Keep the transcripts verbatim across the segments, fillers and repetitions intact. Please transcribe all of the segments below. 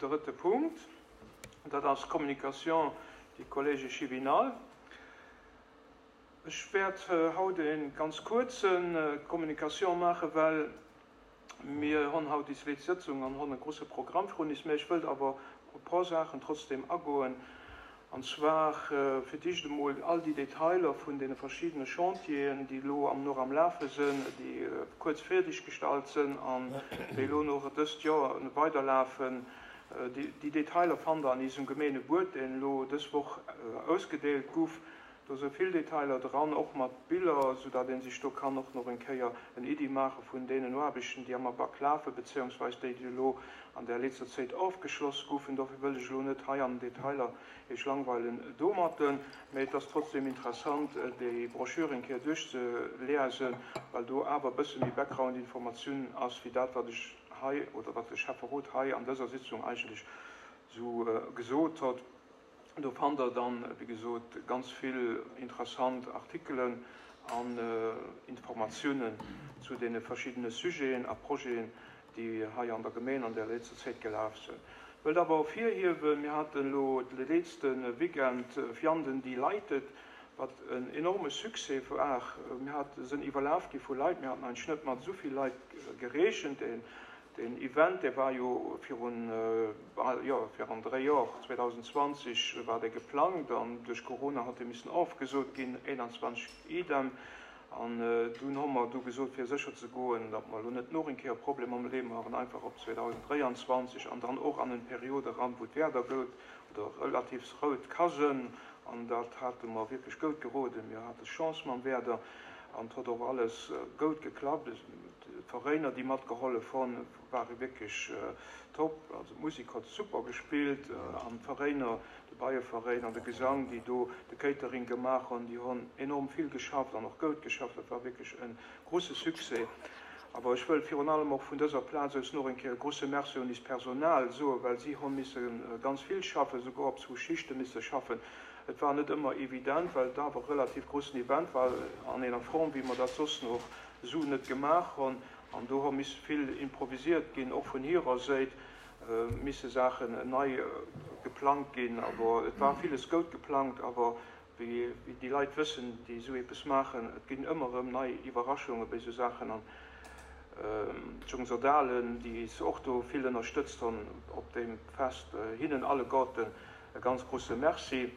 drëtte Punkt. Dat ass Communication du Collège Chibinal. Ech wäert haut e ganz kuerze Communication maachen, well mir hunn haut déi zweet Sëtzung an hunn e grouse Programm virun eis. Mä ech wëllt awer op e puer Saachen trotzdem agoen. An zwar fir d'éischt emol all déi Detailer vun deene verschiddene Chantieren, déi elo am nach am Lafe sinn, déi kuerz fäerdeg gestallt sinn an déi elo nach dëst Joer weiderlafen. Déi Detailer fannt Der an eisem Gemeengebuet, deen elo dës Woch ausgedeelt gouf. Do si vill Detailer dran, och mat Biller, soudatt ee sech do kann och nach eng Kéier en Iddi maache vun deenen Aarbechten, déi am Ablack lafen, beziehungsweise déi, déi elo an der letzter Zäit ofgeschloss goufen. Dofir wëll ech elo net hei an den Detailer Iech langweilen domatten, mä et ass trotzdem interessant, déi Broschür eng Kéier duerchzeliesen, well do awer e bësse méi Background-Informatioun ass, wéi dat, wat ech hei oder wat de Schäfferot hei an dëser Sitzung eigentlech esou gesot huet. Do fannt Der dann, wéi gesot, ganz vill interessant Artikelen an Informatiounen zu deene verschiddene Sujeten a Projeten, déi hei an der Gemeng an der letzter Zäit gelaf sinn. Wëllt awer ervirhiewen, mir haten elo de letzte Weekend Vianden Delighted, wat en enorme Succès war. Mir hate sinn iwwerlaf gi vu Leit, mir haten eigentlech net mat esou vill Leit gerechent. Deen Event, dee war jo virun, jo, virun dräi Joer, zweedausendzwanzeg war dee geplangt an duerch Corona hat dee missen ofgesot ginn, einundzwanzeg idem. An dunn hu mer du gesot, fir sécher ze goen, datt mer elo net nach eng Kéier e Problem am Leeë maachen, einfach op zweedausenddräianzwanzeg an dann och an en Period eran, wou d'Wieder goud oder relativ rout ka sinn. An dat hate mer wierklech goud geroden. Mir hate Chance mam Wieder an et huet och alles goud geklappt. D'Veräiner, déi matgehollef hunn, ware wierklech top. Also d'Musek huet super gespillt an d'Veräiner, de Beieveräin an de Gesang, déi do de Catering gemaach hunn, déi hunn enorm vill geschafft an och goud geschafft. Dat war wierklech e grouse Succès. Awer ech wëll virun allem och vun dëser Plaz aus nach eng Kéier e grouse Merci un eist Personal soen, well si hu misse ganz vill schaffen, souguer op zwou Schichte misse schaffen. Et war net ëmmer evident, well et awer e relativ groussen Event war an enger Form, wéi mer dat soss nach esou net gemaach hunn. An do hu misse vill improvisiert ginn, och vun hirer Säit misse Saachen nei geplangt ginn. Awer et war villes goud geplangt, awer wéi déi Leit wëssen, déi esou eppes maachen, et ginn ëmmer erëm nei Iwwerraschunge bei esou Saachen. An d'Jongsoldalen, déi eis och do vill ënnerstëtzt hunn op deem Fest, hinnen alleguerten e ganz grouse Merci.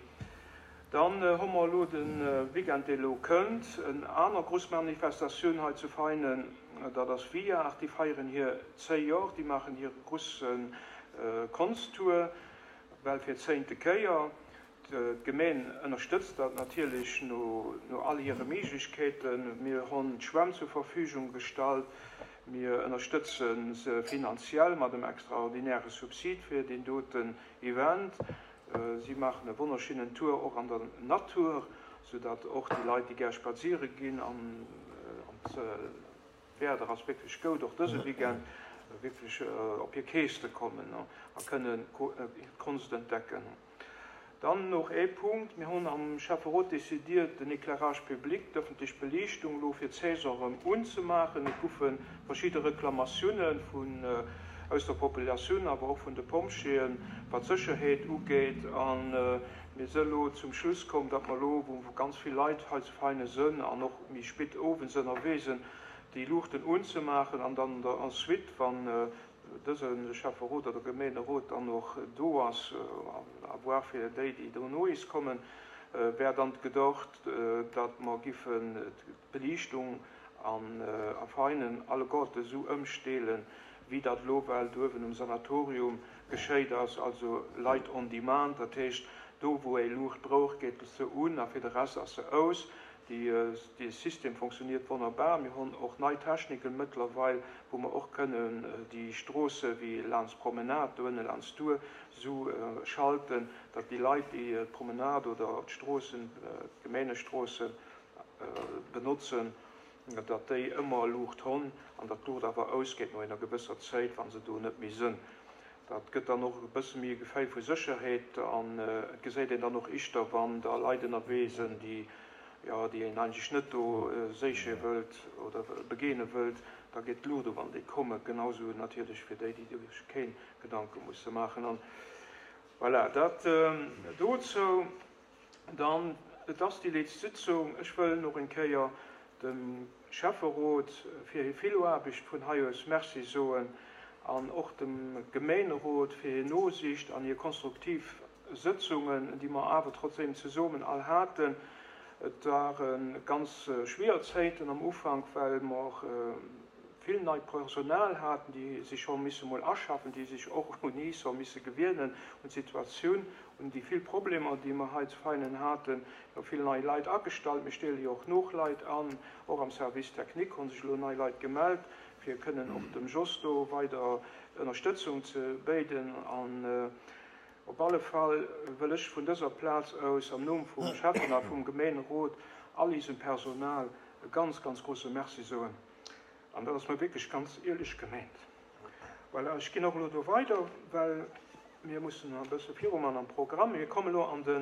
Dann hu mer elo de Weekend, dee elo kënnt, en aner grouss Manifestatioun hei zu Veinen, dat ass Viart. Déi feieren hir zéi Jor, déi maachen hire grousse Konsttour, well fir d'zéinte Kéier. D'Gemeen ënnerstëtzt dat natierlech no all hire Méiglechkeeten. Mir hunn d'Schwämm zur Verfügung gestallt, mir ënnerstëtze se finanziell mat em extraordinäre Subsid fir deen doten Event. Si maachen e wonnerschéinen Tour och an der Natur, soudatt och déi Leit, déi gär spaziere ginn, an d'Wieder ass wierklech goud och dëse Weekend, wierklech op hir Käste kommen a kënnen d'Konst entdecken. Dann nach ee Punkt, Mir hunn am Schäfferot decidiert, den Éclairage public, d'ëffentlech Beliichtung, elo fir d'Saison erëm unzemaachen. Et goufe verschidde Reklamatioune vun aus der Populatioun, awer och vun de Pompjeeën, wat d'Sécherheet ugeet. A mir si elo zum Schluss komm, datt mer elo, wou ganz vill Leit hei zu Veinen sënn an och méi spit owends ënnerwee sënn, déi Luuchten unzemaachen an dann an der Ensuite, wann dëse Schäfferot oder Gemeenerot dann och do ass, à voir fir déi, déi dono is kommen, wär dann gedocht, datt mer giffen d'Beliichtung a Veinen alleguerte esou ëmstelen, wéi dat elo well duerwen um Sanatorium geschéit ass, also Light on demand, dat heescht, do wou ee Luucht brauch, geet se un a fir de Rest ass se aus. Dee System funktioniert wonnerbar. Mir hunn och nei Techniken mëttlerweil, wou mer och kënnen déi Stroosse wéi laanscht d'Promenade, do ënne laanscht d'Tour, esou schalten, datt déi Leit, déi d'Promenade oder d'Stroossen, d'Gemeengestroosse benotzen, datt déi ëmmer Luucht hunn an datt d'Luucht awer ausgeet no enger gewësser Zäit, wa se do net méi sënn. Dat gëtt dann och e bësse méi e Geféil vu Sécherheet an et geséit een dann och ischter, wann da Leit ënnerwee sënn, déi, jo, déi een eigentlech net do séiche wëllt oder begeene wëllt, Da geet d'Luucht op, wann déi kommen. Genau sou natierlech fir déi, déi sech keng Gedanke musse maachen. An voilà, dat dozou. Dann, et ass déi letzte Sitzung. Ech wëll nach eng Kéier dem Schäfferot fir hir vill Aarbecht vun hei aus Merci soen an och dem Gemeenerot fir hir Nosiicht an hir konstruktiv Sëtzungen, déi mer awer trotzdem zesummen all haten. Et ware ganz schwierig Zäiten am Ufank, well mer vill neit Personal haten, déi sech scho misse mol aschaffen, déi sech och un eis hu misse gewinnen, un d'Situatioun, un déi vill Problemer, déi mer hei zu Veinen haten. Jo, vill nei Leit agestallt, mir stelle jo och nach Leit an, och am Service technique hu sech elo nei Leit gemellt, fir kënnen och dem Jos do weider Ënnerstëtzung ze bidden. An op alle Fall wëll ech vun dëser Plaz aus am Numm vum Schäffen a vum Gemeenerot all eisem Personal e ganz, ganz grousse Merci soen. An dat ass mer wierklech ganz éierlech gemengt. Voilà, ech ginn och elo do weider, well mir mussen e bësse viruman am Programm. Mir kommen elo an de